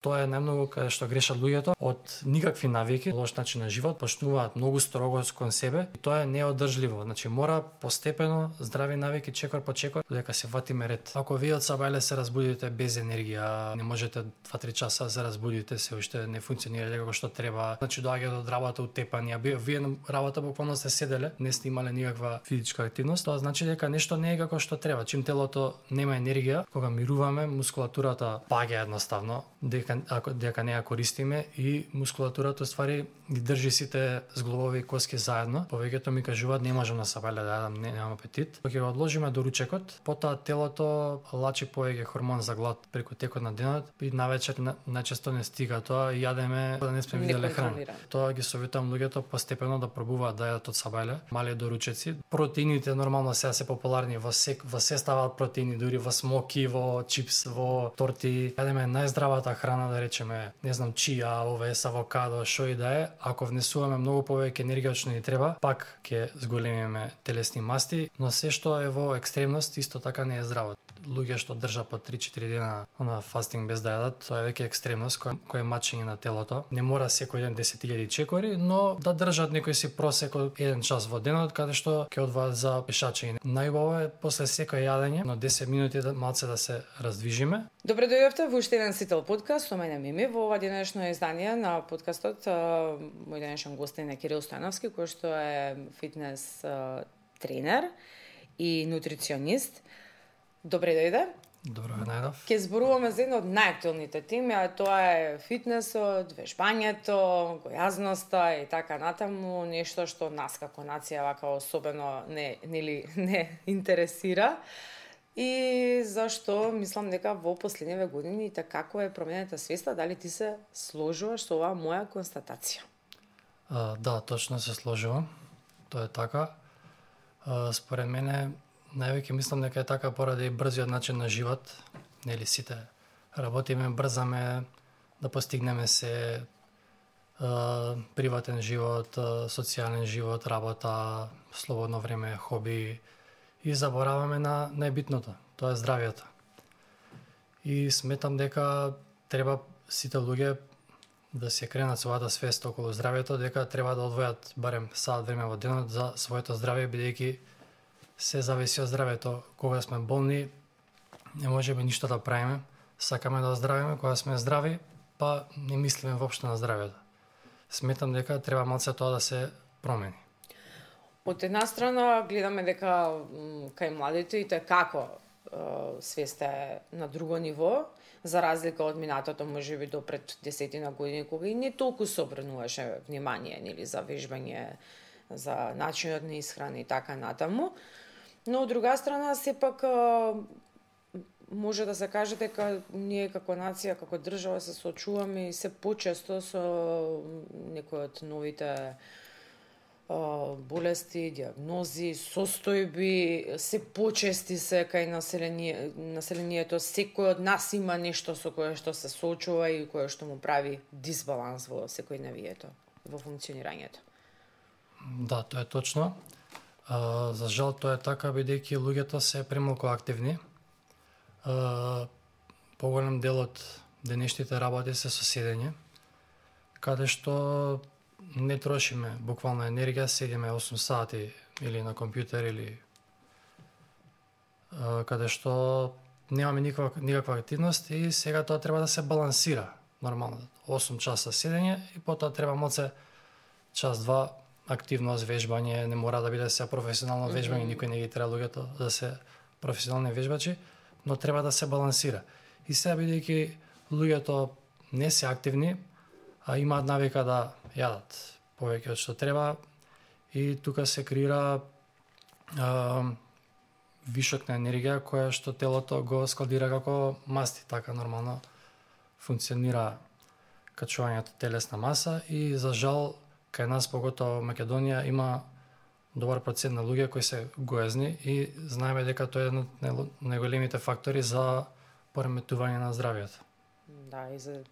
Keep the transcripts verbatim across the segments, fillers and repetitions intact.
Тоа е најмногу каде што грешат луѓето од никакви навики, лош начин на живот, почнуваат многу строго кон себе и тоа е неодржливо. Значи мора постепено здрави навики чекор по чекор дека се ватиме ред. Ако вие од сабајле се разбудите без енергија, не можете два-три часа да се разбудите, се уште не функционира како што треба. Значи доаѓате од работа утепани, а вие на работа буквално сте седеле, не сте имале никаква физичка активност, тоа значи дека нешто не е како што треба. Чим телото нема енергија, кога мируваме, мускулатурата паѓа едноставно, дека ако дека не ја користиме и мускулатурата ствари ги држи сите зглобови коски заедно. Повеќето ми кажуваат не можам на сабајле да јадам, не, немам апетит. Кога го одложиме до ручекот, потоа телото лачи повеќе хормон за глад преку текот на денот и навечер на, најчесто не стига тоа и јадеме да не сме виделе храна. Тоа ги советувам луѓето постепено да пробуваат да јадат од сабајле, мали доручеци. Протеините нормално сега се популарни во сек, во се ставаат протеини, дури во смоки, во чипс, во торти. Јадеме најздравата храна, да речеме, не знам, чија, овес, авокадо, шо и да е. Ако внесуваме многу повеќе енергија што ни треба, пак ќе зголемиме телесни масти, но се што е во екстремност исто така не е здраво. Луѓе што држат по три-четири дена на фастинг без да јадат, тоа е веќе екстремност кој, кој е мачење на телото. Не мора секој ден десет илјади чекори, но да држат некој си просек од еден час во денот каде што ќе одваат за пешачење. Најубаво е после секој јадење, но десет минути да малце да се раздвижиме. Добре дојдовте во уште еден Сител подкаст со мене Мими. Во ова денешно издание на подкастот мој денешен гостин е Кирил Стојановски, кој што е фитнес тренер и нутриционист. Добре дојде. Добро ве најдов. Ке зборуваме за една од најактуелните теми, а тоа е фитнесот, вежбањето, гојазноста и така натаму, нешто што нас како нација вака особено не нели не интересира. И зашто мислам дека во последниве години така како е променета свеста, дали ти се сложуваш со оваа моја констатација? А, да, точно се сложувам. Тоа е така. А, според мене највеќе мислам дека е така поради брзиот начин на живот, нели сите работиме, брзаме да постигнеме се, а, приватен живот, а, социјален живот, работа, слободно време, хоби и забораваме на најбитното, тоа е здравјето. И сметам дека треба сите луѓе да се кренат својата свест околу здравјето, дека треба да одвојат барем сат време во денот за своето здравје, бидејќи се зависи од здравјето. Кога сме болни, не можеме ништо да правиме. Сакаме да оздравиме, кога сме здрави, па не мислиме воопшто на здравјето. Сметам дека треба малце тоа да се промени. Од една страна гледаме дека кај младите и тоа како свеста е на друго ниво, за разлика од минатото можеби до пред десетина години, кога и не толку се обрнуваше внимание нели за вежбање, за начинот на исхрана и така натаму. Но од друга страна сепак може да се каже дека ние како нација, како држава се соочуваме и се почесто со некои од новите болести, диагнози, состојби, се почести се кај население, населението. Секој од нас има нешто со кое што се соочува и кое што му прави дисбаланс во секојдневието, во функционирањето. Да, тоа е точно. А, за жал тоа е така, бидејќи луѓето се премалку активни. А, поголем дел од денешните работи се со седење, каде што не трошиме буквално енергија, седиме осум сати или на компјутер или а, каде што немаме никаква, никаква активност и сега тоа треба да се балансира. Нормално, осум часа седење и потоа треба малце час-два активност, вежбање, не мора да биде се професионално вежбање, mm-hmm. никој не ги треба луѓето да се професионални вежбачи, но треба да се балансира. И сега бидејќи луѓето не се активни, а имаат навика да јадат повеќе од што треба и тука се креира а, вишок на енергија која што телото го складира како масти, така нормално функционира качувањето телесна маса и за жал кај нас, поготово Македонија, има добар процент на луѓе кои се гоезни и знаеме дека тоа е еден од најголемите фактори за пореметување на здравјето. Да, и за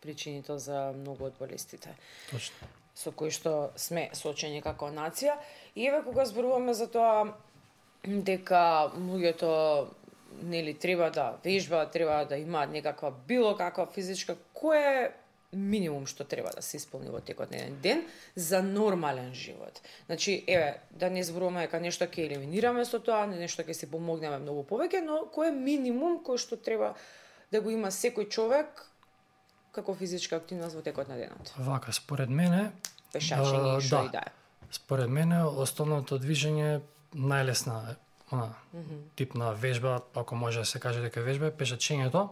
причините за многу од болестите. Точно. Со кои што сме соочени како нација. И еве кога зборуваме за тоа дека луѓето нели треба да вежба, треба да има некаква било каква физичка, кој е минимум што треба да се исполни во текот на еден ден за нормален живот. Значи, еве, да не зборуваме дека нешто ќе елиминираме со тоа, нешто ќе си помогнеме многу повеќе, но кој е минимум кој што треба да го има секој човек како физичка активност во текот на денот? Вака, според мене, пешачење и што и да е. Според мене, основното движење најлесна она, mm -hmm. тип на вежба, ако може да се каже дека вежба, е пешачењето.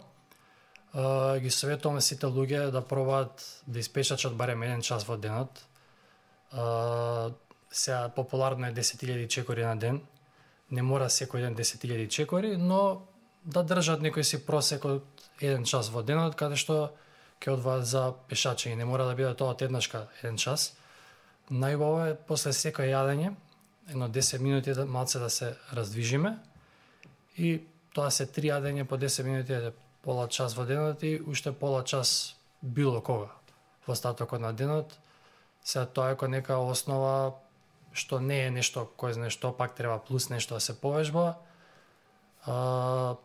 Uh, ги советувам сите луѓе да пробаат да испешачат барем еден час во денот. Uh, сега популарно е десет илјади чекори на ден. Не мора секој ден десет илјади чекори, но да држат некој си просек од еден час во денот, каде што ќе одваат за пешачење. Не мора да биде тоа од еднашка еден час. Најубаво е после секој јадење, едно десет минути да малце да се раздвижиме и тоа се три јадење по десет минути, пола час во денот и уште пола час било кога во остатокот на денот. Сега тоа е кој нека основа што не е нешто кој знае што, пак треба плюс нешто да се повежба. А,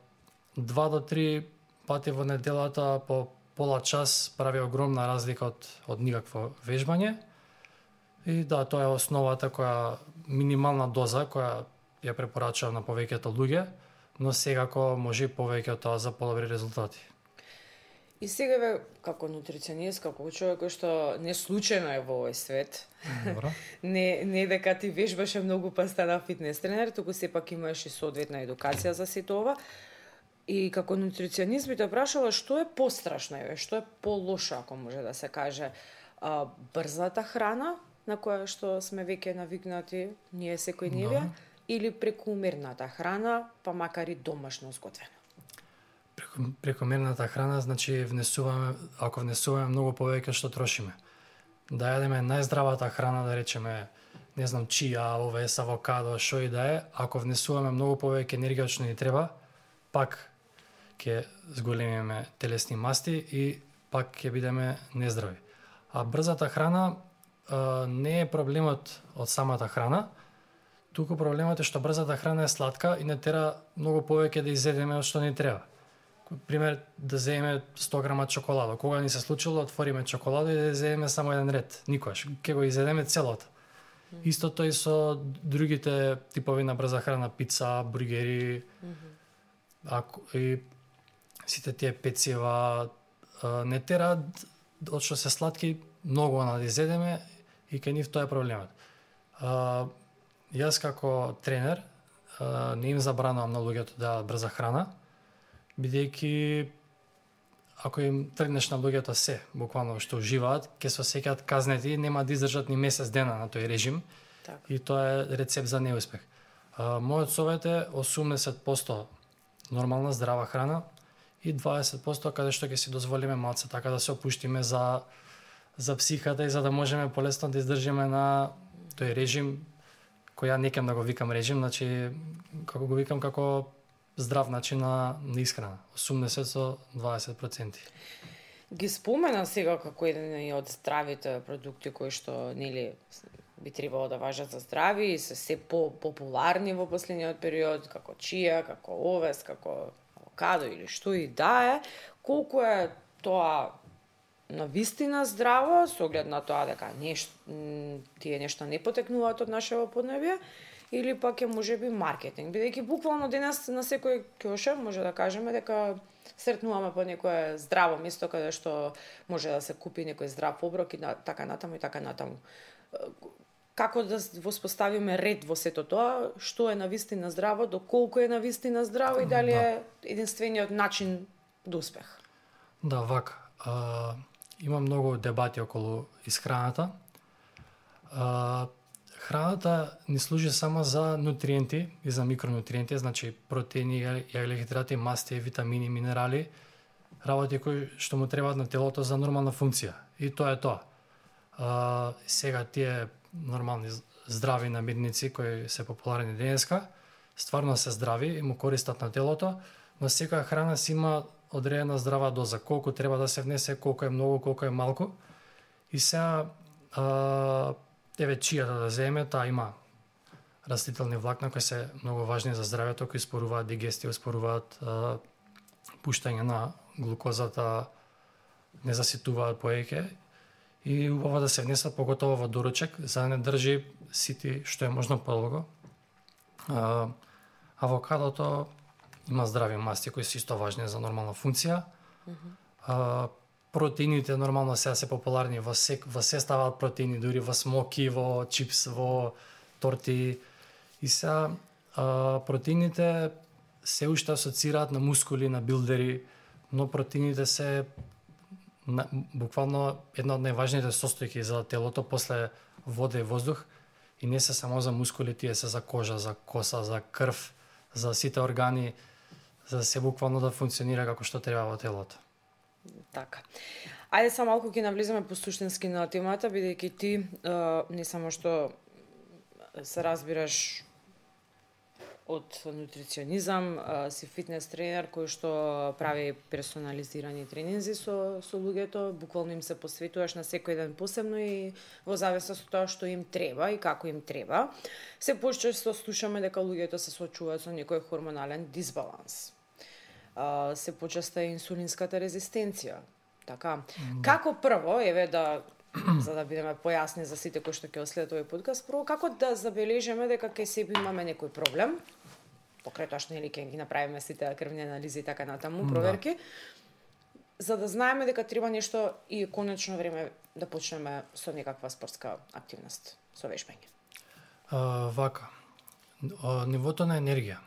два до три пати во неделата по пола час прави огромна разлика од, од никакво вежбање. И да, тоа е основата која минимална доза која ја препорачувам на повеќето луѓе, но секако може и повеќе од тоа за подобри резултати. И сега ве, како нутриционист, како човек кој што не случајно е во овој свет, не, не дека ти вежбаше многу па стана фитнес тренер, туку сепак имаш и соодветна едукација за сето ова. И како нутриционист би те прашала што е пострашно, еве, што е полошо, ако може да се каже, а, брзата храна на која што сме веќе навикнати ние секојдневија, да, или прекумерната храна, па макар и домашно зготвена? Прекумерната храна значи внесуваме, ако внесуваме многу повеќе што трошиме. Да јадеме најздравата храна, да речеме, не знам, чија, овес, авокадо, шо и да е, ако внесуваме многу повеќе енергија што ни треба, пак ќе зголемиме телесни масти и пак ќе бидеме нездрави. А брзата храна а, не е проблемот од самата храна, туку проблемот е што брзата храна е сладка и не тера многу повеќе да изедеме од што ни треба. Пример, да земеме сто грама чоколада. Кога ни се случило, отвориме чоколада и да изедеме само еден ред. Никогаш. Ке го изедеме целото. Mm -hmm. Истото и со другите типови на брза храна, пица, бургери, mm -hmm. ако, и сите тие пецива, не тераат од што се сладки многу на да изедеме и кај нив тоа е проблемот. А, јас како тренер а, не им забранувам на луѓето да јадат брза храна, бидејќи ако им тргнеш на луѓето се, буквално што уживаат, ќе се осеќаат казнети, нема да издржат ни месец дена на тој режим. Так. И тоа е рецепт за неуспех. А, мојот совет е осумдесет проценти нормална здрава храна и дваесет проценти каде што ќе си дозволиме малце така да се опуштиме за за психата и за да можеме полесно да издржиме на тој режим кој ја не кем да го викам режим, значи како го викам како здрав начин на, на исхрана, осумдесет со дваесет проценти. Ги спомена сега како еден од здравите продукти кои што нели би требало да важат за здрави и се се по-популарни во последниот период, како чија, како овес, како авокадо или што и да е, колку е тоа на вистина здраво, со оглед на тоа дека нешто, тие нешта не потекнуваат од нашето поднебје, или пак е можеби маркетинг, бидејќи буквално денес на секој кјоше може да кажеме дека сретнуваме по некое здраво место каде што може да се купи некој здрав оброк и на, така натаму и така натаму. Како да воспоставиме ред во сето тоа, што е навистина здраво, доколку е навистина здраво и дали е единствениот начин до успех? Да, вака. А, има многу дебати околу исхраната. А, Храната ни служи само за нутриенти и за микронутриенти, значи протеини, јаглехидрати, масти, витамини, минерали, работи кои што му требаат на телото за нормална функција. И тоа е тоа. А, сега тие нормални здрави намирници кои се популарни денеска, стварно се здрави и му користат на телото, но секоја храна си има одредена здрава доза, колку треба да се внесе, колку е многу, колку е малку. И сега а, еве чијата да земе, таа има растителни влакна кои се многу важни за здравјето, кои споруваат дигестија, споруваат а, пуштање на глукозата, не заситуваат повеќе и убаво да се внесат поготово во доручек за да не држи сити што е можно подолго. А, авокадото има здрави масти кои се исто важни за нормална функција. Mm-hmm. А, протеините нормално сега се популарни во се во се ставаат протеини, дури во смоки, во чипс, во торти. И сега а, протеините се уште асоцираат на мускули, на билдери, но протеините се на, буквално една од најважните состојки за телото после вода и воздух и не се само за мускули, тие се за кожа, за коса, за крв, за сите органи, за да се буквално да функционира како што треба во телото. Така. Ајде само малку ќе навлеземе по суштински на темата, бидејќи ти е, не само што се разбираш од нутриционизам, е, си фитнес тренер кој што прави персонализирани тренинзи со со луѓето, буквално им се посветуваш на секој ден посебно и во зависност од тоа што им треба и како им треба. Се почесто слушаме дека луѓето се соочуваат со некој хормонален дисбаланс. Uh, се почеста и инсулинската резистенција. Така. Mm. Како прво, еве да за да бидеме појасни за сите кои што ќе следат овој подкаст, прво како да забележиме дека кај себе имаме некој проблем, покрај тоа што нели ќе ги направиме сите крвни анализи и така натаму, проверки, mm. за да знаеме дека треба нешто и конечно време да почнеме со некаква спортска активност, со вежбање. Uh, вака. Uh, нивото на енергија.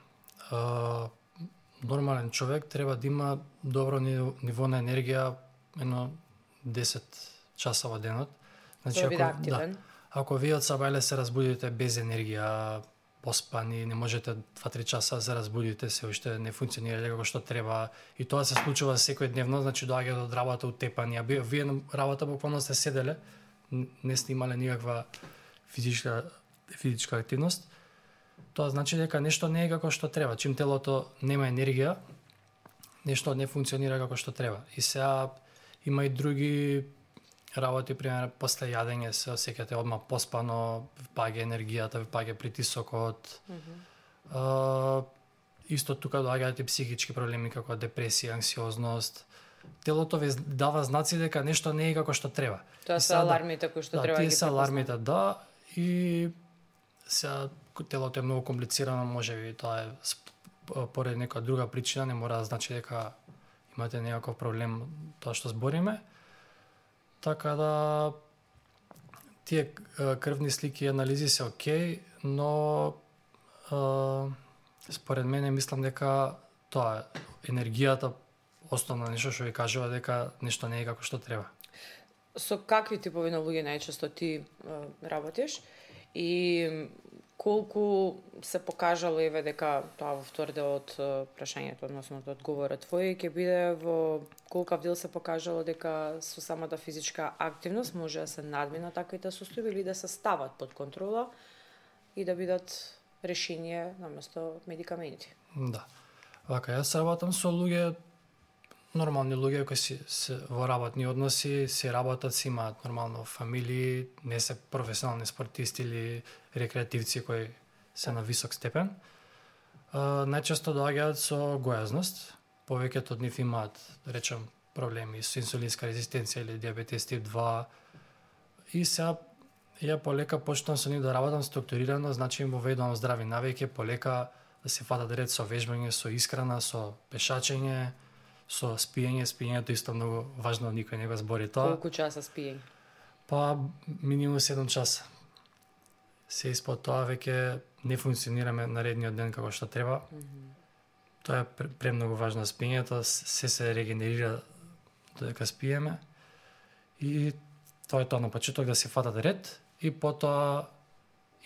Uh, Нормален човек треба да има добро ниво на енергија едно десет часа во денот. Значи, ако, да, ако вие од сабајле се разбудите без енергија, поспани, не можете два-три часа да се разбудите, се уште не функционирате како што треба и тоа се случува секојдневно, значи доаѓате од работа утепани, а вие на работа буквално сте седеле, не сте имале никаква физичка физичка активност. Тоа значи дека нешто не е како што треба. Чим телото нема енергија, нешто не функционира како што треба. И сега има и други работи, пример, после јадење се осеќате одма поспано, паѓа енергијата, паѓа притисокот. Mm-hmm. А, исто тука доаѓаат и психички проблеми како депресија, анксиозност. Телото ви дава знаци дека нешто не е како што треба. Тоа се алармите кои што да, треба да ги препознаме. Да, алармите, да, и сега телото е многу комплицирано, можеби тоа е поради нека друга причина, не мора да значи дека имате некаков проблем тоа што збориме. Така да тие крвни слики и анализи се окей, но е, според мене мислам дека тоа е енергијата основно нешто што ви кажува дека нешто не е како што треба. Со какви типови на луѓе најчесто ти е, работиш и колку се покажало еве дека тоа во втор дел од прашањето, односно од одговорот твој ќе биде во колкав дел се покажало дека со самата физичка активност може да се надмина таквите состојби или да се стават под контрола и да бидат решение наместо медикаменти. Да. Вака, јас работам со луѓе, нормални луѓе кои си се во работни односи, си работат, си имаат нормално фамилии, не се професионални спортисти или рекреативци кои се на висок степен. А, најчесто доаѓаат со гојазност. Повеќето од нив имаат, да речем, проблеми со инсулинска резистенција или диабетес тип два. И сега ја полека почнам со нив да работам структурирано, значи им воведувам здрави навики, полека да се фатат ред со вежбање, со исхрана, со пешачење, со спиење. Спиењето исто многу важно, никој не го збори тоа. Колку часа спиење? Па минимум седум часа. Се испод тоа веќе не функционираме наредниот ден како што треба. Mm-hmm. Тоа е премногу важно спиењето, се се регенерира додека спиеме. И тоа е тоа на почеток да се фатат ред и потоа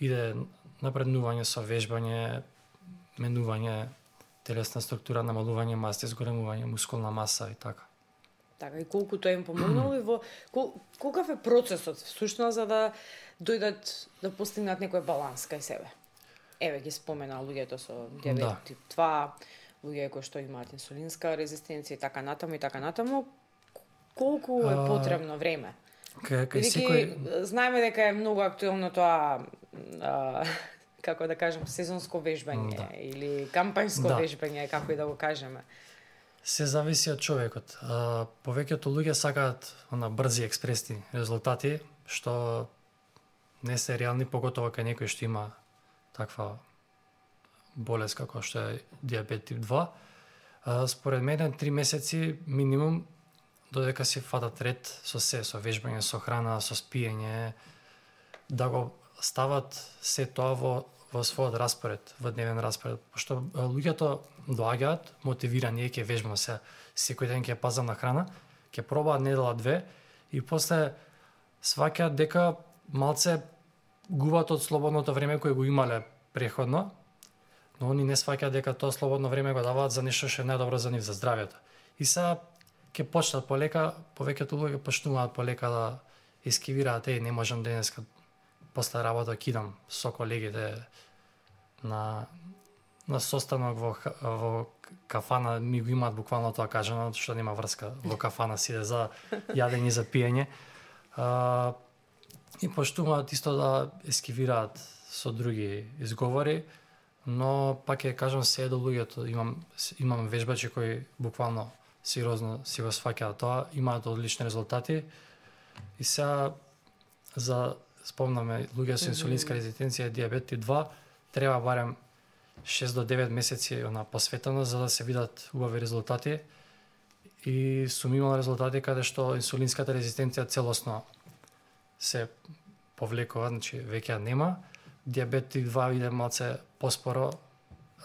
иде напреднување со вежбање, менување телесна структура, намалување масти, зголемување мускулна маса и така. Така, и колку тоа им помогнало и во кол, колкав е процесот всушност за да дојдат да постигнат некој баланс кај себе? Еве ги спомена луѓето со диабет да. тип два, луѓе кои што имаат инсулинска резистенција и така натаму и така натаму. Колку е потребно време? Кај, кај секој... Знаеме дека е многу актуелно тоа а, како да кажем, сезонско вежбање Да. или кампањско Да. вежбање, како и да го кажеме. Се зависи од човекот. А, повеќето луѓе сакаат на брзи експресни резултати, што не се реални, поготово кај некој што има таква болест како што е диабет тип два. А, според мене три месеци минимум додека се фатат ред со се, со вежбање, со храна, со спиење, да го стават се тоа во во својот распоред, во дневен распоред, пошто луѓето доаѓаат мотивирани, ќе вежбам се, секој ден ќе пазам на храна, ќе пробаат недела две и после сваќаат дека малце губат од слободното време кое го имале преходно, но они не сваќаат дека тоа слободно време го даваат за нешто што е најдобро за нив, за здравјето. И сега ќе почнат полека, повеќето луѓе почнуваат полека да ескивираат, еј, не можам денеска после работа кидам со колегите на на состанок во во кафана, ми го имаат буквално тоа кажано, што нема врска, во кафана си иде за јадење, за пиење. А, и почнуваат исто да ескивираат со други изговори, но пак ќе кажам се до луѓето, имам имам вежбачи кои буквално сериозно си го сваќаат тоа, имаат одлични резултати. И сега за спомнаме луѓе со инсулинска резистенција и диабет тип два треба барем шест до девет месеци она посветено за да се видат убави резултати. И сум имал резултати каде што инсулинската резистенција целосно се повлекува, значи веќе нема. Диабет тип два иде малце поспоро,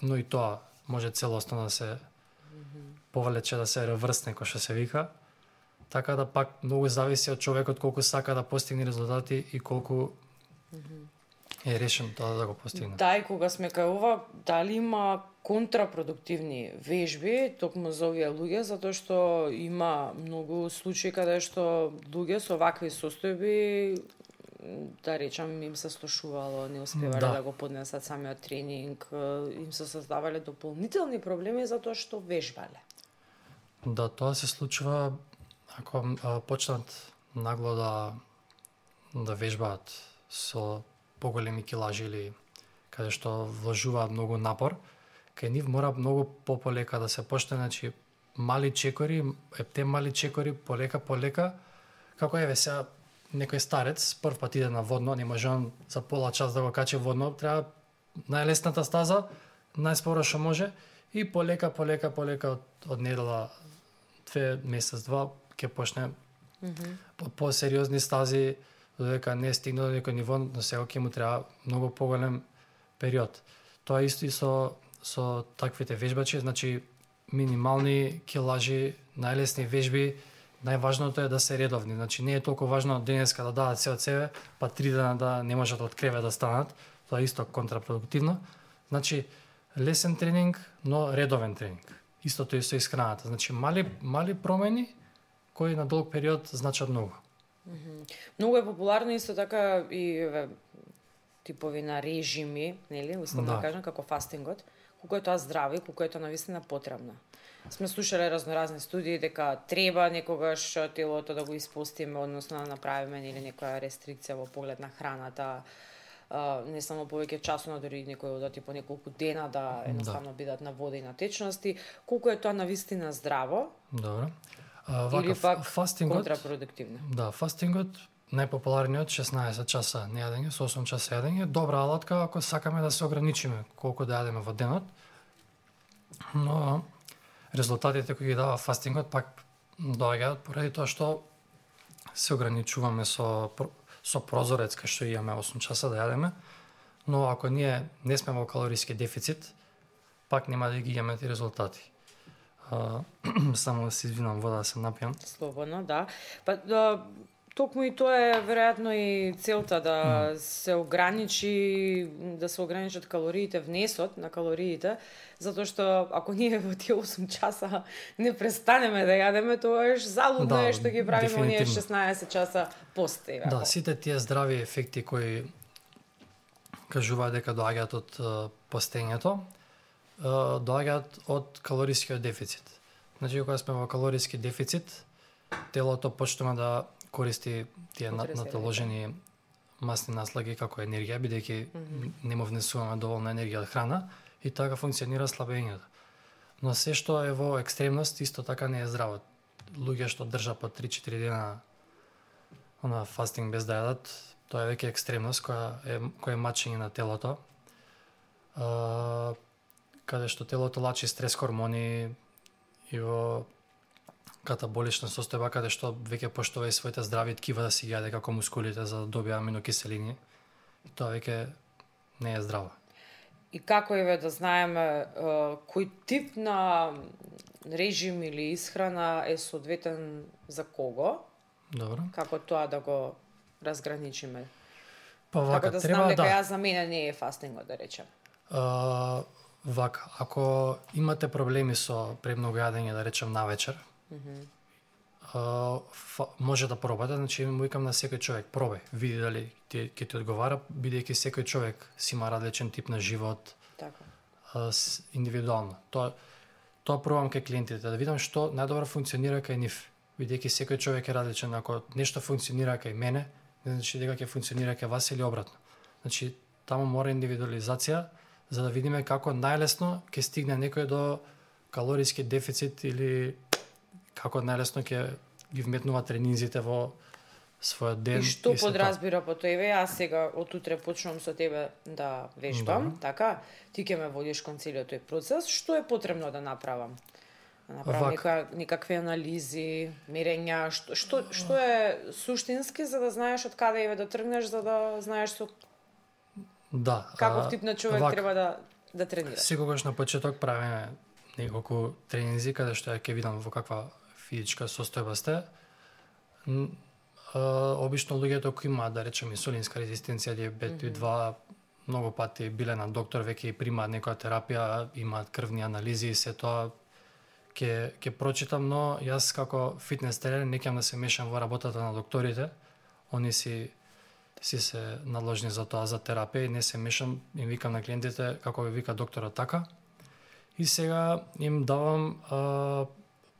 но и тоа може целосно да се повлече, да се реврсне, кој што се вика. Така да пак многу зависи од човекот колку сака да постигне резултати и колку е решен тоа да го постигне. Да, и кога сме кај ова, дали има контрапродуктивни вежби токму за овие луѓе, затоа што има многу случаи каде што луѓе со вакви состојби, да речам, им се слушувало, не успевале да, Да. да го поднесат самиот тренинг, им се создавале дополнителни проблеми затоа што вежбале. Да, тоа се случува ако а, почнат нагло да да вежбаат со поголеми килажи или каде што вложуваат многу напор, кај нив мора многу пополека да се почне, значи мали чекори, е, те мали чекори полека полека, како еве сега некој старец прв пат иде на водно, не може он за пола час да го качи водно, треба најлесната стаза, најспоро што може и полека полека полека од, од недела две месец два ќе почне mm -hmm. по посериозни стази, додека не стигне до некој ниво, но сега ќе му треба многу поголем период. Тоа исто и со со таквите вежбачи, значи минимални килажи, најлесни вежби, најважното е да се редовни. Значи не е толку важно денеска да дадат се од себе, па три дена да не можат од кревет да станат, тоа е исто контрапродуктивно. Значи лесен тренинг, но редовен тренинг. Истото и со исхраната. Значи мали мали промени кои на долг период значат многу. Многу е популарно исто така и еве, типови на режими, нели, условно да. да кажам, како фастингот, колку е тоа здраво и колку е тоа навистина потребно. Сме слушале разноразни студии дека треба некогаш телото да го испустиме, односно да направиме нели некоја рестрикција во поглед на храната, Uh, не само повеќе часоно, дори некој одати по неколку дена да едноставно да. бидат на вода и на течности, колку е тоа навистина здраво? Добро. А, вака, или пак фастингот, контрапродуктивно? Да, фастингот најпопуларниот шеснаесет часа нејадење, со осум часа јадење, добра алатка ако сакаме да се ограничиме колку да јадеме во денот. Но резултатите кои ги дава фастингот пак доаѓаат поради тоа што се ограничуваме со со прозорец кај што имаме осум часа да јадеме, но ако ние не сме во калориски дефицит, пак нема да ги имаме ти резултати. А, само да се извинам, вода да се напијам. Слободно, да. Па да, токму и тоа е веројатно и целта да mm. се ограничи, да се ограничат калориите, внесот на калориите, затоа што ако ние во тие осум часа не престанеме да јадеме, тоа е залудно да, е што ги правиме оние шеснаесет часа посте. Да, сите тие здрави ефекти кои кажуваат дека доаѓаат од постењето, доаѓаат од калорискиот дефицит. Значи, кога сме во калориски дефицит, телото почнува да користи тие наталожени масни наслаги како енергија, бидејќи mm -hmm. не му внесуваме доволно енергија од храна и така функционира слабењето. Но се што е во екстремност исто така не е здраво. Луѓе што држа по три-четири дена она фастинг без да јадат, тоа е веќе екстремност која е која е мачење на телото. А, каде што телото лачи стрес хормони и во катаболична состојба каде што веќе поштува и своите здрави ткива да си ги јаде како мускулите за да добие аминокиселини. И тоа веќе не е здраво. И како еве да знаеме кој тип на режим или исхрана е соодветен за кого? Добро. Како тоа да го разграничиме? Па вака, како да треба знам дека да. ја за мене не е фастингот, да речем. А, вака, ако имате проблеми со премногу јадење, да речем навечер, mm -hmm. а, фа, може да пробате, значи му викам на секој човек, пробај, види дали ти ќе ти одговара, бидејќи секој човек си има различен тип на живот. Така. А, с, индивидуално. Тоа тоа пробам кај клиентите да видам што најдобро функционира кај нив, бидејќи секој човек е различен. Ако нешто функционира кај мене, не значи дека ќе функционира кај вас или обратно. Значи таму мора индивидуализација за да видиме како најлесно ќе стигне некој до калориски дефицит или како најлесно ќе ги вметнува тренинзите во својот ден. И што и подразбира по тоа? Еве, јас сега од утре почнувам со тебе да вежбам, да. Така? Ти ќе ме водиш кон целиот тој процес. Што е потребно да направам? Да направам нека, некакви анализи, мерења, што, што, што е суштински за да знаеш од каде еве да тргнеш, за да знаеш со да, каков тип на човек вак, треба да да тренира. Секогаш на почеток правиме неколку тренинзи каде што ја ќе видам во каква физичка состојба сте. Обично луѓето кои имаат, да речеме, инсулинска резистенција, диабет тип два, многу пати биле на доктор, веќе и примаат некоја терапија, имаат крвни анализи и се тоа ќе ќе прочитам, но јас како фитнес тренер не ќе да се мешам во работата на докторите. Они си си се наложни за тоа, за терапија, и не се мешам, им викам на клиентите како ви вика докторот така. И сега им давам а,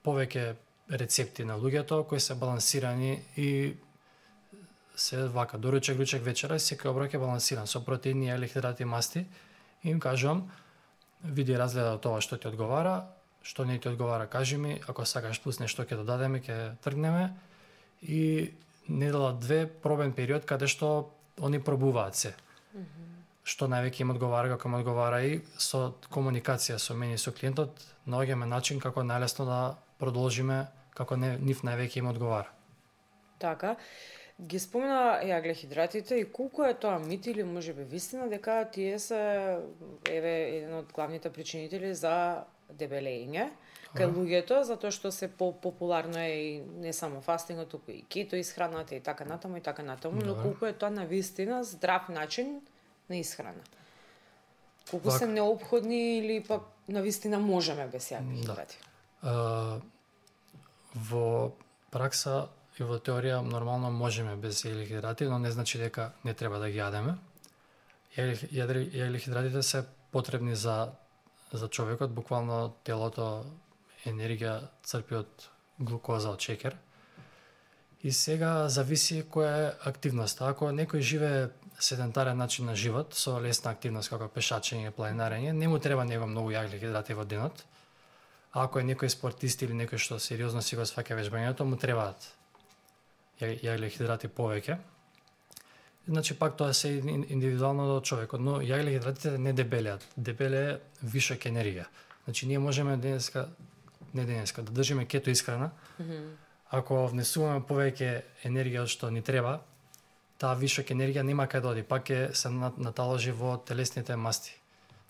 повеќе рецепти на луѓето кои се балансирани и се вака доручек, ручек, вечера, секој оброк е балансиран со протеини, елехидрати, масти. И им кажувам, види разгледа од тоа што ти одговара, што не ти одговара, кажи ми, ако сакаш плюс нешто ќе додадеме, ќе тргнеме. И недела две пробен период каде што они пробуваат се. Mm -hmm. Што највеќе им одговара, како им одговара, и со комуникација со мене и со клиентот наоѓаме начин како најлесно да продолжиме како не, нив највеќе им одговара. Така. Ги спомена јаглехидратите и колку е тоа мит или можеби вистина дека тие се еве еден од главните причинители за дебелење кај луѓето, затоа што се по-популарно е и не само фастингот, туку и кето исхраната и така натаму и така натаму, но колку е тоа навистина здрав начин на исхрана? Колку так се неопходни или пак навистина можеме без јаглехидрати? Да. Uh, во пракса и во теорија нормално можеме без јаглехидрати, но не значи дека не треба да ги јадеме. Јаглехидратите се потребни за за човекот, буквално телото енергија црпи од глукоза, од шеќер. И сега зависи која е активноста. Ако некој живее седентарен начин на живот со лесна активност како пешачење, планинарење, не му треба него многу јаглехидрати во денот. А ако е некој спортист или некој што сериозно си го сваќа вежбањето, му требаат јаглехидрати повеќе. Значи пак тоа се индивидуално до човекот, но јаглехидратите не дебелеат, дебеле вишок енергија. Значи ние можеме денеска, не денеска, да држиме кето исхрана. Mm -hmm. Ако внесуваме повеќе енергија од што ни треба, таа вишок енергија нема каде да оди, пак ќе се наталожи во телесните масти.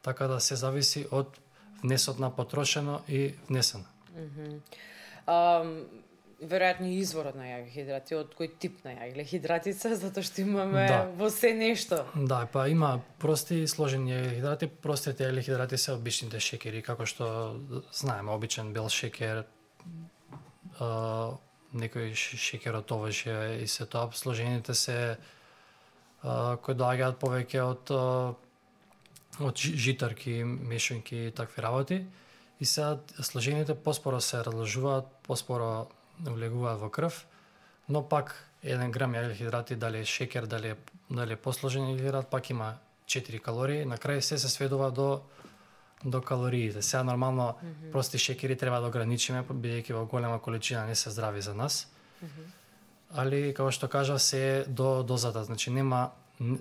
Така да се зависи од внесот на потрошено и внесено. Mm -hmm. um... веројатно изворот на јаглехидрати, од кој тип на јаглехидрати се, затоа што имаме да. Во се нешто. Да, па има прости и сложени јаглехидрати. Простите јаглехидрати се обичните шеќери, како што знаеме, обичен бел шеќер, а, некој шеќер од овошје и се тоа. Сложените се а, кои доаѓаат повеќе од а, од житарки, мешанки и такви работи. И сега сложените поспоро се разложуваат, поспоро влегуваат во крв, но пак еден грам јагълхидрати, дали е шекер, дали е, дали е посложен јагълхидрат, пак има четири калории, на крај се се сведува до до калориите. Сега нормално mm -hmm. прости шекери треба да ограничиме, бидејќи во голема количина не се здрави за нас. Mm -hmm. Али како што кажа, се до дозата, значи нема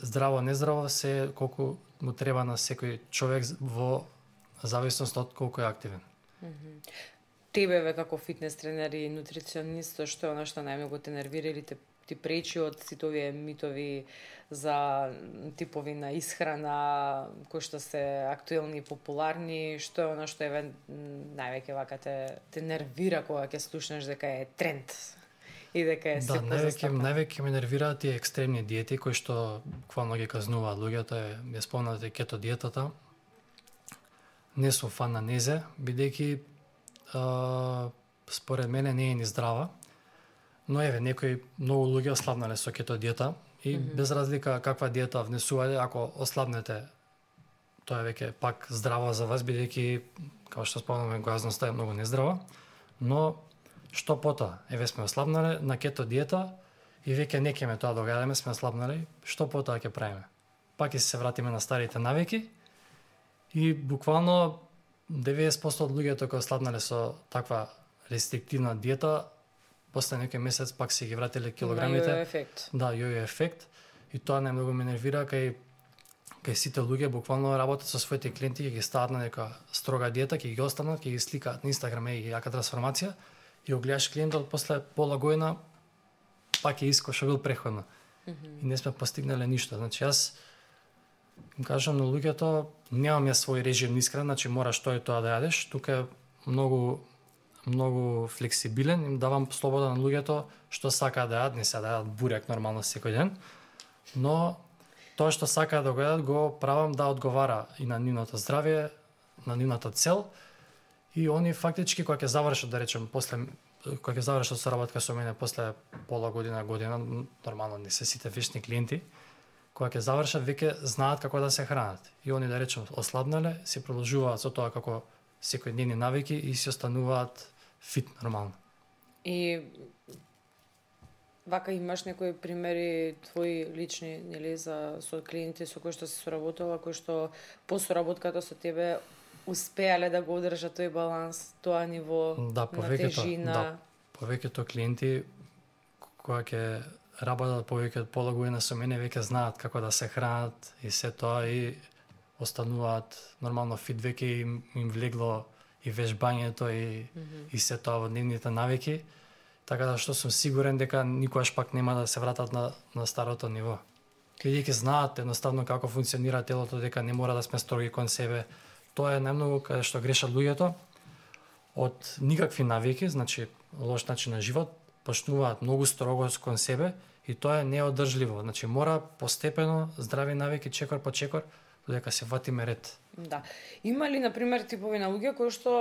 здраво нездраво, се колку му треба на секој човек во зависност од колку е активен. Mm -hmm. Тебе ве како фитнес тренер и нутриционист, што е она што најмногу те нервира или те ти пречи од сите овие митови за типови на исхрана кои што се актуелни и популарни, што е она што еве највеќе вака те, те нервира кога ќе слушнеш дека е тренд и дека е да, се највеќе највеќе ме нервираат тие екстремни диети кои што буквално ги казнуваат луѓето, е ја спомнате кето диетата. Не сум фан на незе, бидејќи Uh, според мене не е ни здрава, но еве некои многу луѓе ослабнале со кето диета и mm -hmm. без разлика каква диета внесувате, ако ослабнете, тоа е веќе пак здраво за вас, бидејќи како што спомнаме глазноста е многу нездрава, но што потоа, еве сме ослабнале на кето диета и веќе не ќе ме тоа догаѓаме, сме ослабнале, што потоа ќе правиме? Пак ќе се вратиме на старите навики и буквално деветдесет проценти од луѓето кои ослабнале со таква рестриктивна диета, после некој месец пак се ги вратиле килограмите. Јојо ефект. Да, јојо ефект. И тоа најмногу ме нервира кај кај сите луѓе буквално работат со своите клиенти, ќе ги стават на нека строга диета, ќе ги останат, ќе ги сликаат на Инстаграм и јака трансформација и го гледаш клиентот после пола година пак е иско што бил преходно. Mm -hmm. И не сме постигнале ништо. Значи јас им кажам на луѓето, немам ја свој режим на исхрана, значи мораш тоа и тоа да јадеш. Тука е многу многу флексибилен, им давам слобода на луѓето што сакаат да јадат, не се да јадат бурек нормално секој ден, но тоа што сакаат да го јадат го правам да одговара и на нивното здравје, на нивната цел и они фактички кога ќе завршат, да речем, после кога ќе завршат соработка со мене после пола година, година, нормално не се сите вечни клиенти, кога ќе завршат веќе знаат како да се хранат. И они, да речем, ослабнале, се продолжуваат со тоа како секојдневни навики и се остануваат фит нормално. И вака имаш некои примери твои лични, нели, за со клиенти со кои што се соработува, кои што по соработката со тебе успеале да го одржат тој баланс, тоа ниво да, на тежина? Да, повеќето клиенти кога ќе работат повеќе од пола година со мене веќе знаат како да се хранат и се тоа и остануваат нормално фит, веќе им, им влегло и вежбањето и, mm -hmm. и се тоа во дневните навики, така да што сум сигурен дека никогаш пак нема да се вратат на, на старото ниво. Бидејќи знаат едноставно како функционира телото, дека не мора да сме строги кон себе. Тоа е најмногу каде што грешат луѓето од никакви навики, значи лош начин на живот, почнуваат многу строго кон себе и тоа е неодржливо. Значи мора постепено здрави навики чекор по чекор додека се ватиме ред. Да. Има ли, например, типови на луѓе кои што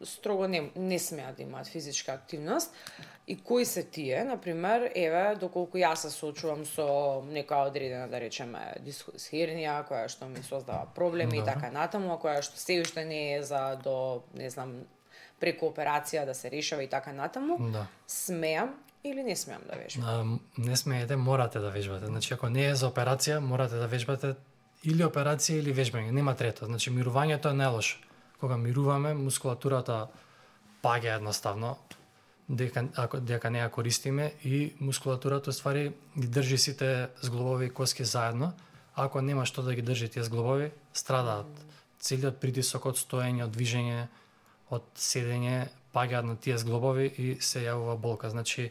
строго не, не смеат да имаат физичка активност и кои се тие, например, еве, доколку јас се соочувам со некоја одредена, да речеме, дисхернија, која што ми создава проблеми да. И така натаму, која што се уште не е за до, не знам, преку операција да се решава и така натаму, да. Смеам или не смеам да вежбам? Не смеете, морате да вежбате. Значи, ако не е за операција, морате да вежбате или операција или вежбање, нема трето. Значи, мирувањето е најлошо. Кога мируваме, мускулатурата паѓа едноставно, дека, ако, дека не ја користиме и мускулатурата, ствари, ги држи сите зглобови и коски заедно. Ако нема што да ги држи тие зглобови, страдаат. Целиот притисок од стоење, од движење, од седење, паѓаат на тие зглобови и се јавува болка. Значи,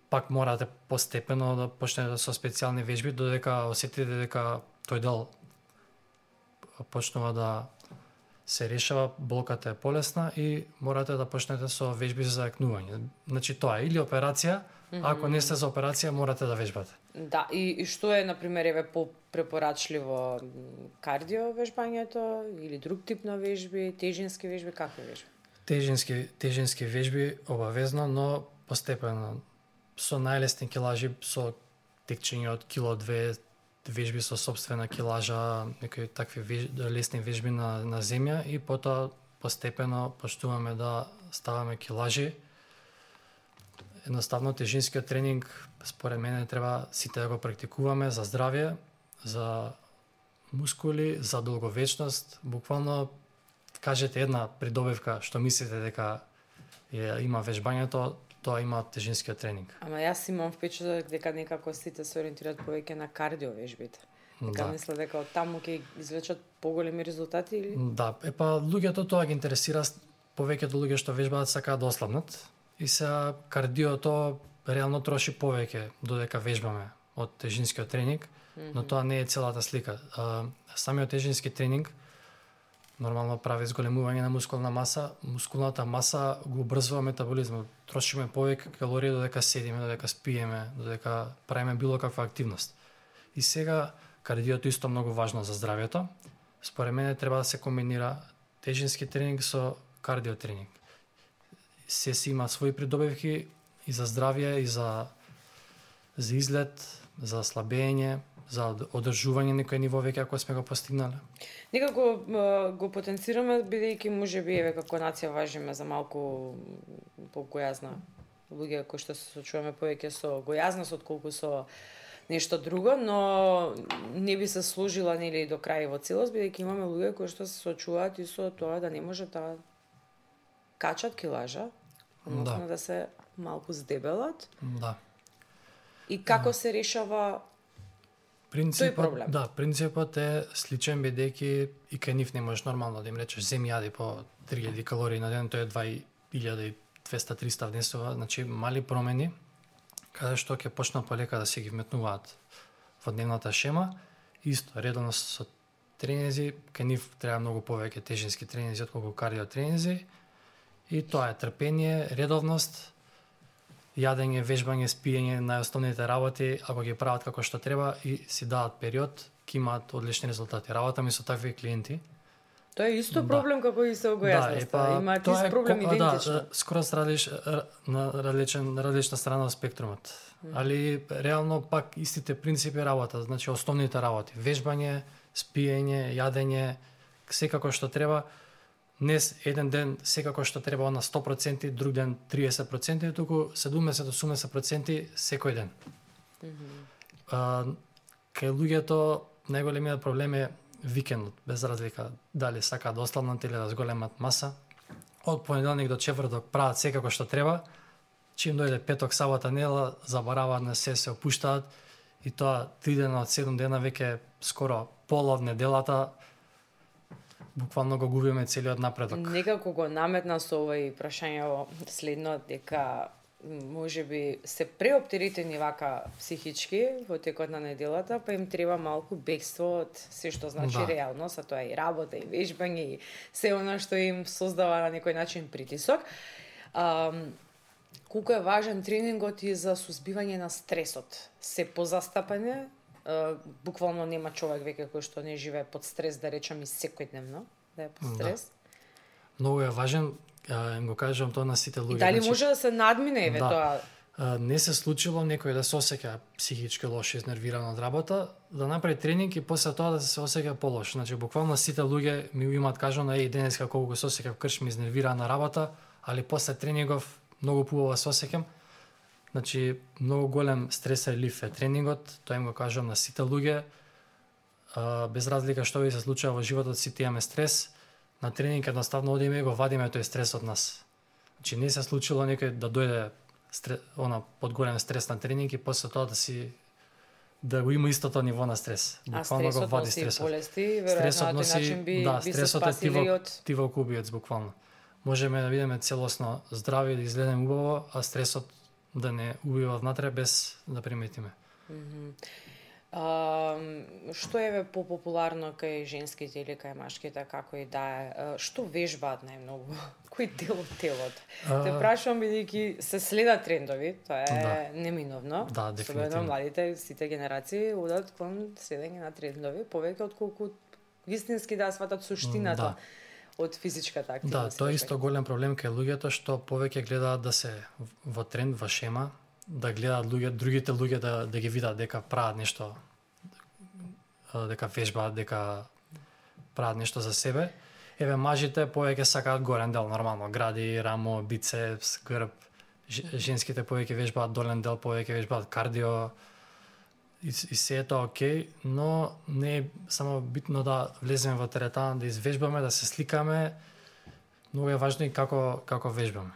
пак морате постепено да почнете со специјални вежби, додека осетите дека тој дел почнува да се решава, болката е полесна и морате да почнете со вежби за закнување. Значи тоа е или операција, mm -hmm. ако не сте за операција, морате да вежбате. Да, и, и што е, например, еве по-препорачливо, кардио вежбањето или друг тип на вежби, тежински вежби, какви вежби? Тежински, тежински вежби обавезно, но постепено. Со најлесни килажи, со текчење од кило-две, вежби со собствена килажа, некои такви веж... лесни вежби на, на земја и потоа постепено почнуваме да ставаме килажи. едноставно тежинскиот тренинг според мене треба сите да го практикуваме за здравје, за мускули, за долговечност. Буквално кажете една придобивка што мислите дека е, има вежбањето, тоа има тежинскиот тренинг. Ама јас имам впечаток дека некако сите се ориентираат повеќе на кардио вежбите. Дека Да. мисле дека од таму ќе извлечат поголеми резултати или? Да, епа луѓето тоа ги интересира, повеќето луѓе што вежбаат сакаат да ослабнат и се кардиото реално троши повеќе додека вежбаме од тежинскиот тренинг, но тоа не е целата слика. А, самиот тежински тренинг нормално прави зголемување на мускулна маса, мускулната маса го убрзува метаболизмот. Трошиме повеќе калории додека седиме, додека спиеме, додека правиме било каква активност. И сега кардиото исто многу важно за здравјето. Според мене треба да се комбинира тежински тренинг со кардио тренинг. Се си има своји придобивки и за здравје, и за за изглед, за слабење, за одржување некој ниво веќе ако сме го постигнале. Некако е, го потенцираме бидејќи можеби еве како нација важиме за малку поgoјазна луѓе кои што се сочуваме повеќе со гојазност отколку со нешто друго, но не би се сложила нели до крај во целост бидејќи имаме луѓе кои што се сочуваат и со тоа да не може да качат килажа, односно да. да се малку здебелат. Да. И како се решава тој проблем? Да, принципот е сличен бидејќи и кај нив не можеш нормално да им речеш земи јади по три илјади калории на ден, тоа е два илјади и двеста до триста внесува, значи мали промени каде што ќе почнат полека да се ги вметнуваат во дневната шема. Исто, редовно со тренинзи, кај нив треба многу повеќе тежински тренинзи отколку кардио тренинзи. И тоа е трпение, редовност, јадење, вежбање, спиење, најосновните работи, ако ги прават како што треба и си дадат период, ќе имаат одлични резултати. Работа ми со такви клиенти. Тоа е исто проблем да. како и со гојазноста. Да, имаат ист проблем идентично. Да, скоро различ, на различен различна страна на спектрумот. Mm. Али реално пак истите принципи работа, значи основните работи, вежбање, спиење, јадење, секако што треба. Днес еден ден секако што треба на сто проценти, друг ден триесет проценти, туку седумдесет до осумдесет проценти секој ден. Mm -hmm. а, кај луѓето најголемиот проблем е викендот, без разлика дали сакаат да ослабнат или да зголемат маса. Од понеделник до четврток прават секако што треба, чим дојде петок, сабота, недела, забараваат на се, се опуштаат и тоа три дена од седум дена веќе скоро пола од неделата буквално го губиме целиот напредок. Некако го наметна со овој прашање следно дека можеби се преоптеретени вака психички во текот на неделата, па им треба малку бегство од се што значи да. реалност, а тоа е и работа, и вежбање, и се она што им создава на некој начин притисок. А, колку е важен тренингот и за сузбивање на стресот? Се позастапане, Uh, буквално нема човек веќе кој што не живее под стрес, да речам и секојдневно, да е под стрес. Да. Многу е важен, им го кажам тоа на сите луѓе. И дали значи, може да се надмине еве да. тоа? Uh, не се случило некој да се осеќа психички лошо, изнервиран од работа, да направи тренинг и после тоа да се осеќа полош. Значи буквално сите луѓе ми имаат кажано еј денеска колку се осеќав кршми изнервиран на работа, али после тренингов многу поубаво се осеќам. Значи, многу голем стрес релиф е тренингот, тоа им го кажам на сите луѓе. А, без разлика што ви се случува во животот, сите имаме стрес. На тренинг едноставно одиме и го вадиме тој стрес од нас. Значи, не се случило некој да дојде стрес, она под голем стрес на тренинг и после тоа да си да го има истото ниво на стрес. Буквално го вади стресот. Болести, стресот носи начин би, да, би стресот се е тивок, од... тивок убиец буквално. Можеме да видиме целосно здрави, да изгледаме убаво, а стресот да не убива внатре без да приметиме. Mm -hmm. а, што е попопуларно кај женските или кај машките, како и да е? Што вежбаат најмногу? Кој дел од телото? А... Те прашувам бидејќи се следат трендови, тоа е да. неминовно. Да, дефинитивно. Младите, сите генерации одат кон следење на трендови, повеќе отколку вистински да сватат суштината. Да. Од физичката активност. Да, тоа е исто голем проблем кај луѓето што повеќе гледаат да се во тренд, во шема, да гледаат луѓе, другите луѓе да да ги видат дека прават нешто, дека вежбаат, дека прават нешто за себе. Еве мажите повеќе сакаат горен дел, нормално, гради, рамо, бицепс, грб, женските повеќе вежбаат долен дел, повеќе вежбаат кардио, и, и се е тоа окей, но не е само битно да влеземе во теретана, да извежбаме, да се сликаме, многу е важно и како, како вежбаме.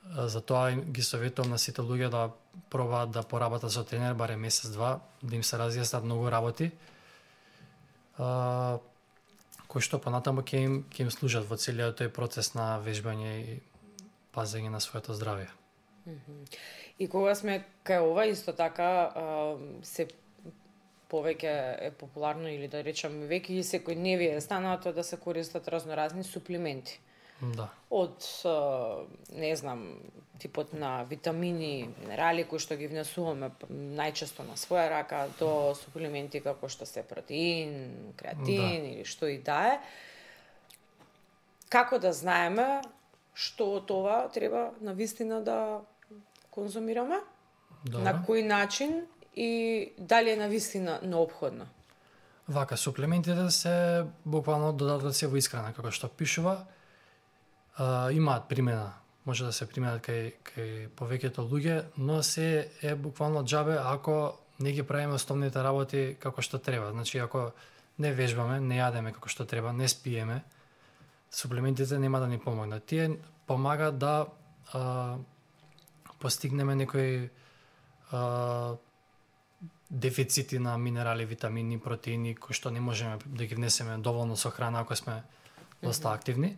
Затоа ги советувам на сите луѓе да пробаат да поработат со тренер барем месец-два, да им се разјаснат многу работи, а, кои што понатаму ќе им, ќе им служат во целиот тој процес на вежбање и пазење на своето здравје. И кога сме кај ова, исто така се повеќе е популарно или да речам веќе и секој не ви е станато да се користат разноразни суплементи. Да. Од, не знам, типот на витамини, минерали кои што ги внесуваме најчесто на своја рака, до суплементи како што се протеин, креатин да. Или што и да е. Како да знаеме што од това треба навистина да конзумираме? Добре. На кој начин и дали е навистина неопходно? Вака, суплементите се буквално додатоци во исхрана, како што пишува. Uh, имаат примена, може да се применат кај, кај повеќето луѓе, но се е буквално џабе ако не ги правиме основните работи како што треба. Значи, ако не вежбаме, не јадеме како што треба, не спиеме, суплементите нема да ни помогнат. Тие помагаат да а, постигнеме некои а, дефицити на минерали, витамини, протеини, кои што не можеме да ги внесеме доволно со храна ако сме доста активни.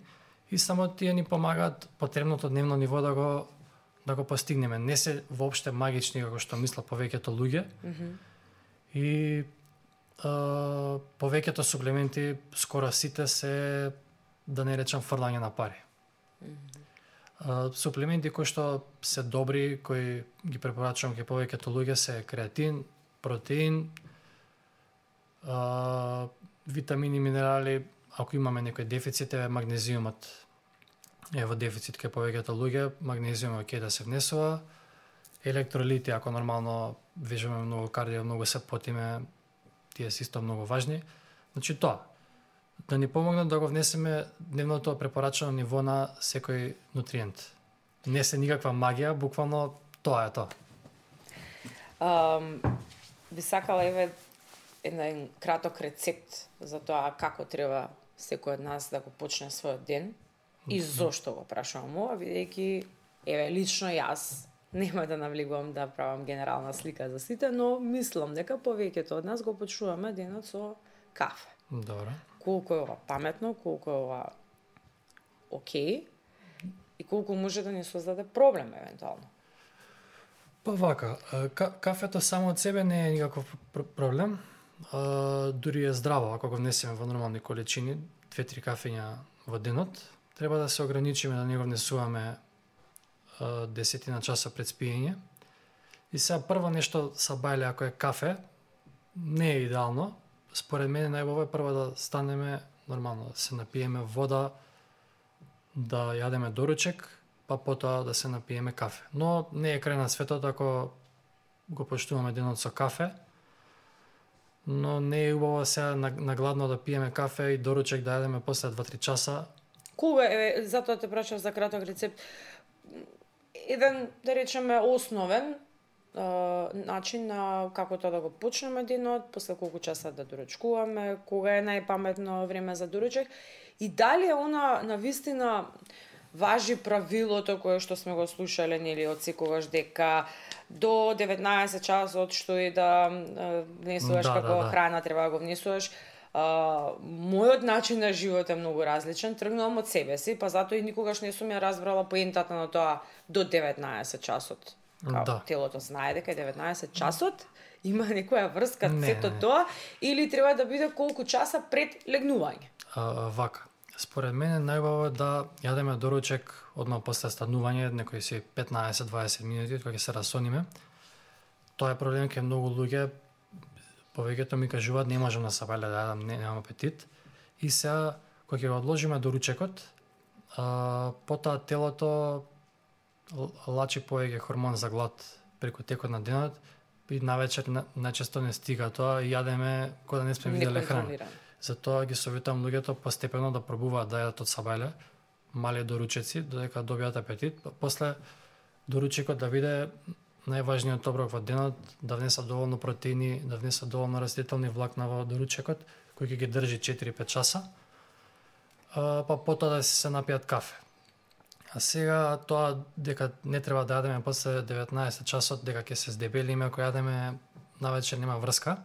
И само тие ни помагаат потребното дневно ниво да го да го постигнеме. Не се воопште магични како што мислат повеќето луѓе. Mm-hmm. И а, повеќето суплементи, скоро сите се, да не речам, фрлање на пари. Mm-hmm. А, суплементи кои што се добри, кои ги препорачувам кај повеќето луѓе се креатин, протеин, а, витамини, минерали. Ако имаме некој дефицит, е магнезиумот е во дефицит кај повеќето луѓе, магнезиумот ќе да се внесува, електролити, ако нормално вежбаме многу кардио, многу се потиме, тие се исто многу важни. Значи тоа, да ни помогнат да го внесеме дневното препорачено ниво на секој нутриент. Не се никаква магија, буквално тоа е тоа. Um, би сакала еве еден краток рецепт за тоа како треба секој од нас да го почне својот ден и зошто го прашувам ова, бидејќи еве лично јас нема да навлегувам да правам генерална слика за сите, но мислам дека повеќето од нас го почнуваме денот со кафе. Добро. Колку е ова паметно, колку е ова окей и колку може да ни создаде проблем евентуално. Па вака, кафето само од себе не е никаков проблем. Uh, дури е здраво ако го внесеме во нормални количини, две-три кафења во денот. Треба да се ограничиме да не го внесуваме uh, десетина часа пред спиење. И сега прво нешто са бајле ако е кафе, не е идеално. Според мене најубаво е прво да станеме нормално, да се напиеме вода, да јадеме доручек, па потоа да се напиеме кафе. Но не е крај на светот ако го почнуваме денот со кафе. Но не е убаво сега нагладно да пиеме кафе и доручек да јадеме после два-три часа. Кога е, затоа те прашав за краток рецепт. Еден, да речеме, основен е, начин на како тоа да го почнеме денот, после колку часа да доручкуваме, кога е најпаметно време за доручек и дали е она навистина важи правилото кое што сме го слушале нели од секогаш дека до деветнаесет часот што и да внесуваш да, како да, да. храна треба да го внесуваш. А, мојот начин на живот е многу различен, тргнувам од себе си, па затоа и никогаш не сум ја разбрала поентата на тоа до деветнаесет часот. Као, да. Телото знае дека деветнаесет часот има некоја врска не, сето не. тоа или треба да биде колку часа пред легнување. А, вака. Според мене најубаво е да јадеме доручек одма после станување, некои си петнаесет-дваесет минути кога ќе се расониме. Тоа е проблем кај многу луѓе. Повеќето ми кажуваат не можам да се пале да јадам, не, немам апетит. И сега кога ќе го одложиме доручекот, а, потоа телото лачи повеќе хормон за глад преку текот на денот и навечер најчесто не стига тоа и јадеме кога да не сме виделе храна. Затоа ги советувам луѓето постепено да пробуваат да јадат од сабајле, мали доручеци, додека добијат апетит. После доручикот да биде најважниот оброк во денот, да внеса доволно протеини, да внеса доволно растителни влакна во доручекот, кој ќе ги држи четири-пет часа, па потоа да се напијат кафе. А сега тоа дека не треба да јадеме после деветнаесет часот, дека ќе се здебелиме ако јадеме навечер, нема врска.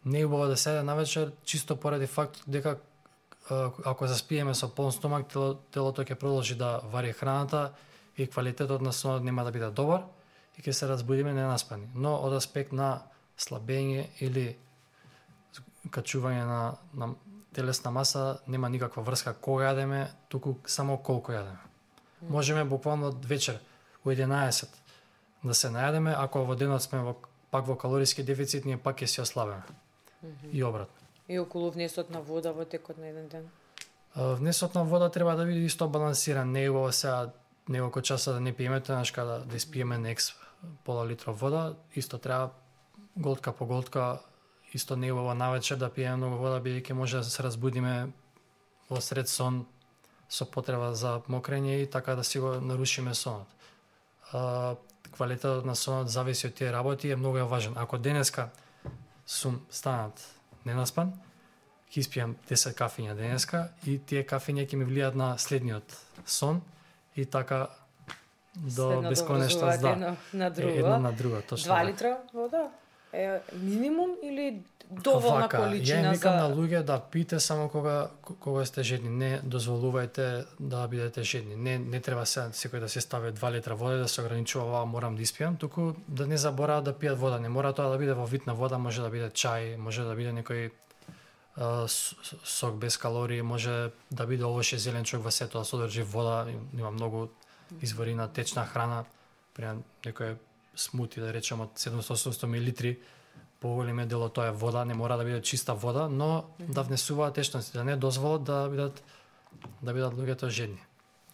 Не е убаво да се јаде навечер, чисто поради факт дека ако заспиеме со полн стомак, тело, телото ќе продолжи да вари храната и квалитетот на сонот нема да биде добар и ќе се разбудиме ненаспани. Но од аспект на слабење или качување на, на телесна маса нема никаква врска кога јадеме, туку само колку јадеме. Можеме буквално вечер у единаесет да се најадеме, ако во денот сме во, пак во калориски дефицит, ние пак ќе се ослабеме. Mm-hmm. И обратно. И околу внесот на вода во текот на еден ден? Внесот на вода треба да биде исто балансиран. Не е убаво сега неколку часа да не пиеме, тоаш када да испиеме некс пола литра вода, исто треба голтка по голтка, исто не е убаво навечер да пиеме многу вода, бидејќи може да се разбудиме во сред сон со потреба за мокрење и така да си го нарушиме сонот. А, квалитетот на сонот зависи од тие работи и е многу важен. Ако денеска сум станат ненаспан, ќе испијам десет кафиња денеска и тие кафиња ќе ми влијат на следниот сон и така до бесконечност, да. Едно на друго. Едно на друго, точно. Два литра вода е минимум или доволна Вака, количина ја викам за... на луѓе да пиете само кога кога сте жедни, не дозволувајте да бидете жедни. Не не треба се секој да се стави два литра вода и да се ограничува ова морам да испијам, туку да не забораат да пијат вода. Не мора тоа да биде во вид на вода, може да биде чај, може да биде некој а, сок без калории, може да биде овоше зелен човек во сето да содржи вода, има многу извори на течна храна, пример некој смути да речеме од седумстотини до осумстотини милилитри, поголеме дел од тоа е вода, не мора да биде чиста вода, но mm-hmm. да внесуваат течности, да не дозволат да бидат да бидат луѓето жедни.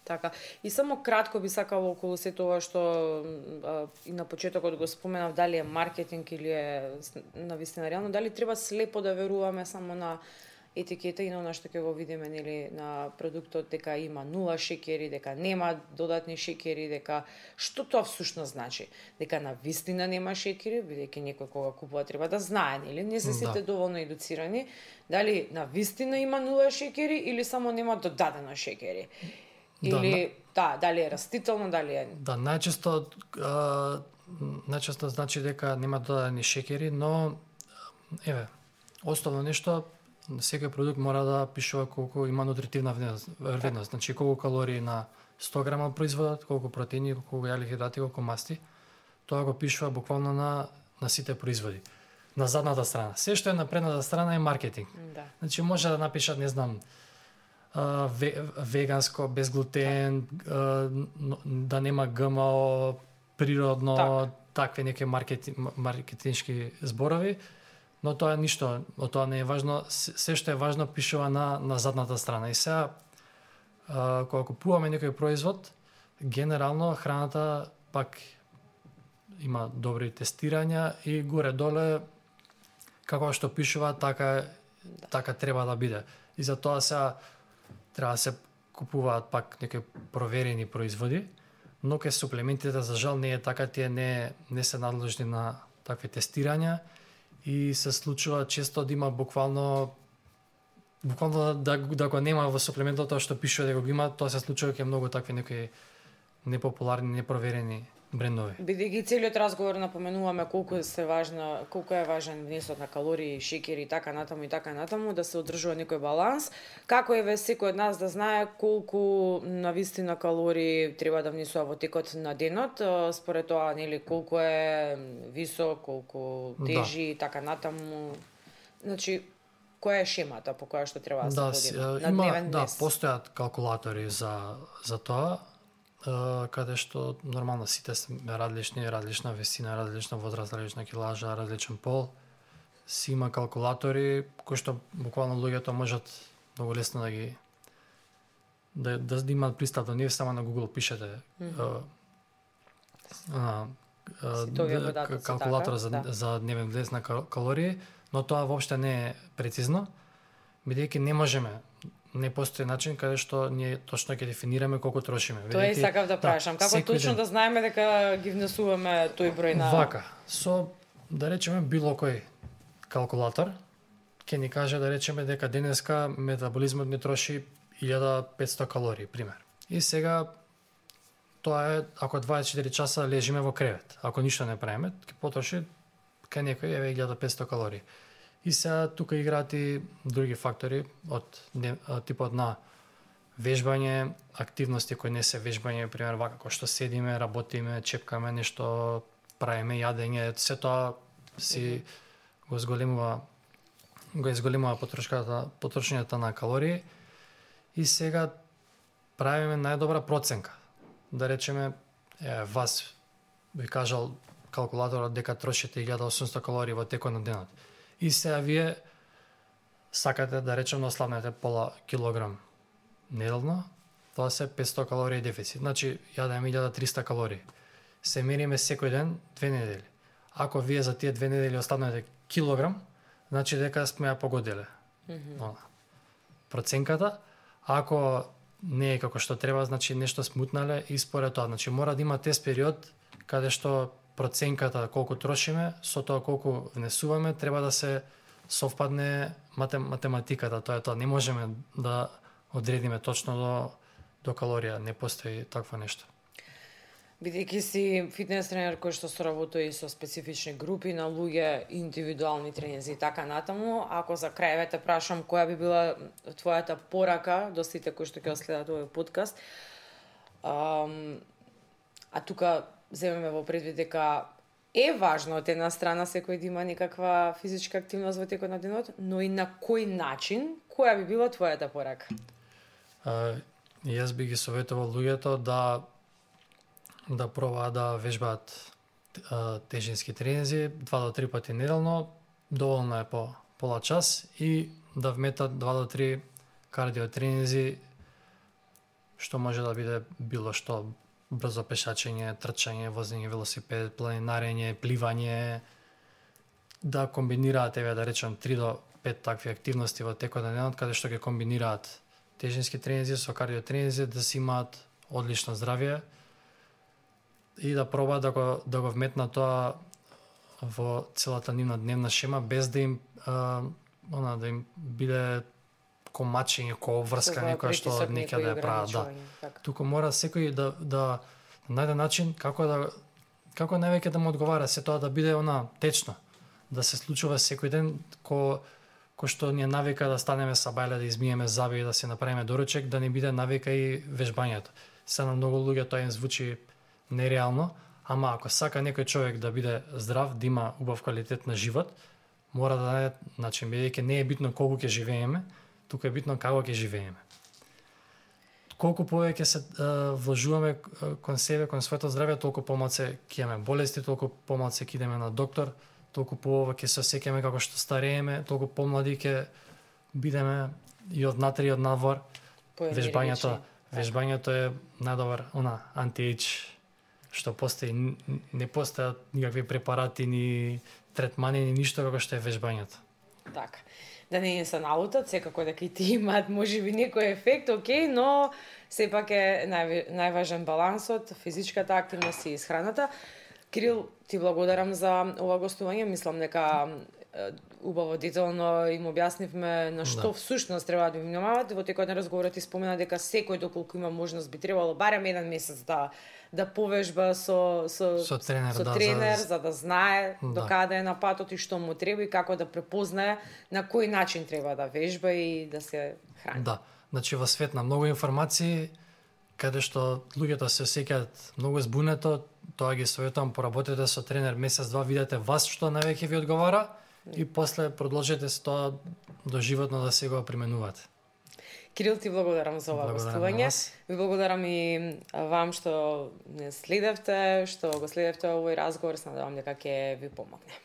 Така. И само кратко би сакала околу се тоа што а, и на почетокот го споменав, дали е маркетинг или е навистина реално, дали треба слепо да веруваме само на етикета и на она што ќе го видиме нели на продуктот дека има нула шеќери, дека нема додатни шеќери, дека што тоа всушност значи? Дека на вистина нема шеќери, бидејќи некој кога купува треба да знае, нели? Не се сите да. доволно едуцирани, дали на вистина има нула шеќери или само нема додадено шеќери? Или да, да дали е растително, дали е... Да, најчесто а, најчесто значи дека нема додадени шеќери, но еве, основно нешто, секој продукт мора да пишува колку има нутритивна вредност, значи колку калории на сто грама производат, колку протеини, колку јаглихидрати, колку масти. Тоа го пишува буквално на на сите производи. На задната страна. Се што е на предната страна е маркетинг. Да. Значи може да напишат, не знам, веганско, без глутен, да нема ГМО, природно, так. такви неки маркетинг, маркетиншки зборови, но тоа ништо, од тоа не е важно. Се што е важно пишува на на задната страна. И сега кога купуваме некој производ, генерално храната пак има добри тестирања и горе-доле како што пишува, така да. така треба да биде. И за тоа сега треба да се купуваат пак некои проверени производи, но ке суплементите за жал не е така, тие не не се надлежни на такви тестирања и се случува често да има буквално буквално да да го нема во суплементот тоа што пишува дека го има, тоа се случува кај многу такви некои непопуларни, непроверени брендови. Бидејќи целиот разговор напоменуваме колку се важна, колку е важен внесот на калории, шеќери и така натаму и така натаму, да се одржува некој баланс. Како е ве секој од нас да знае колку навистина калории треба да внесува во текот на денот, според тоа нели колку е висок, колку тежи и да. така натаму. Значи која е шемата по која што треба да се да, води на има, дневен да, днес? постојат калкулатори за за тоа. Uh, каде што нормално сите сме различни, различна висина, различна возраст, различна килажа, различен пол. Си има калкулатори кои што буквално луѓето можат многу лесно да ги да да, да имаат пристап до нив, само на Google пишете mm -hmm. uh, uh, uh, калкулатор така, за да. за дневен влез на калории, но тоа воопште не е прецизно, бидејќи не можеме не постои начин каде што ние точно ќе дефинираме колку трошиме. Тоа е сакав да прашам. Како точно ден да знаеме дека ги внесуваме тој број на... Вака, со, да речеме, било кој калкулатор, ќе ни каже, да речеме, дека денеска метаболизмот ми троши илјада и петсто калории, пример. И сега, тоа е, ако дваесет и четири часа лежиме во кревет, ако ништо не правиме, ќе потроши кај некој еве илјада и петсто калории. И сега тука играат и други фактори од типот на вежбање, активности кои не се вежбање, пример вака кој што седиме, работиме, чепкаме нешто, правиме јадење, се тоа си го зголемува го изголемува потрошката, потрошењето на калории. И сега правиме најдобра проценка. Да речеме, е, вас би кажал калкулаторот дека трошите илјада и осумсто калории во текот на денот. И сега вие сакате да речеме да ослабнете пола килограм неделно, тоа се петсто калории дефицит. Значи, јадеме илјада и триста калории. Се мериме секој ден две недели. Ако вие за тие две недели ослабнете килограм, значи дека сме ја погодиле. Mm-hmm. Проценката, ако не е како што треба, значи нешто смутнале и според тоа. Значи мора да има тест период каде што проценката колку трошиме со тоа колку внесуваме треба да се совпадне матем, математиката. Тоа е тоа. Не можеме да одредиме точно до, до калорија. Не постои такво нешто. Бидејќи си фитнес тренер кој што соработува и со специфични групи на луѓе, индивидуални тренинзи и така натаму, ако за крај те прашам која би била твојата порака до сите кои што ќе следат овој подкаст, а, а тука земеме во предвид дека е важно од една страна секој да има некаква физичка активност во текот на денот, но и на кој начин, која би била твојата порака? А, јас би ги советувал луѓето да да пробаат да вежбаат тежински тренинзи два до три пати неделно, доволно е по пола час и да вметат два до три кардио тренинзи, што може да биде било што брзо пешачење, трчање, возење велосипед, планинарење, пливање, да комбинираат, еве да речем три до пет такви активности во текот на денот, каде што ќе комбинираат тежински тренинзи со кардио тренинзи, да си имаат одлично здравје и да пробаат да го, да го вметнат тоа во целата нивна дневна шема, без да им а, она, да им биде комачење, ко обврска некоја што некаде да прават. Да. Така. Туку мора секој да, да најде начин како да како највеќе да му одговара, се тоа да биде она течно, да се случува секој ден, ко кој што ни е навика да станеме са бајле, да измиеме заби и да се направиме доручек, да не биде навика и вежбањето. Се на многу луѓе тоа им звучи нереално, ама ако сака некој човек да биде здрав, да има убав квалитет на живот, мора да најде начин, бидејќи не е битно колку ќе живееме, тука е битно како ќе живееме. Колку повеќе се uh, вложуваме кон себе, кон своето здравје, толку помалку ќе имаме болести, толку помалку ќе идеме на доктор, толку поова ќе се осеќаме како што старееме, толку помлади ќе бидеме и од внатре и од надвор. Вежбањето, вежбањето е најдобар она анти-ејдж што постои, не постојат никакви препарати, ни третмани, ни ништо како што е вежбањето. Така. Да не се налутат, секако дека и ти имаат можеби некој ефект, окей, но сепак е нај, најважен балансот, физичката активност и исхраната. Кирил, ти благодарам за ова гостување, мислам дека убаво детално им објаснивме на што да. Всушност треба да внимавате. Во текот на разговорот ти спомена дека секој доколку има можност би требало барем еден месец да да повежба со со со тренер, со да, тренер за, за да знае да. до каде е на патот и што му треба и како да препознае на кој начин треба да вежба и да се храни. Да, значи во свет на многу информации каде што луѓето се осеќаат многу збунето, тоа ги советувам, поработете со тренер месец-два, видете вас што највеќе ви одговара и после продолжете с тоа до животно да се го применувате. Кирил, ти благодарам за ова гостување. Ви благодарам и вам што не следевте, што го следевте овој разговор, се надевам дека ќе ви помогне.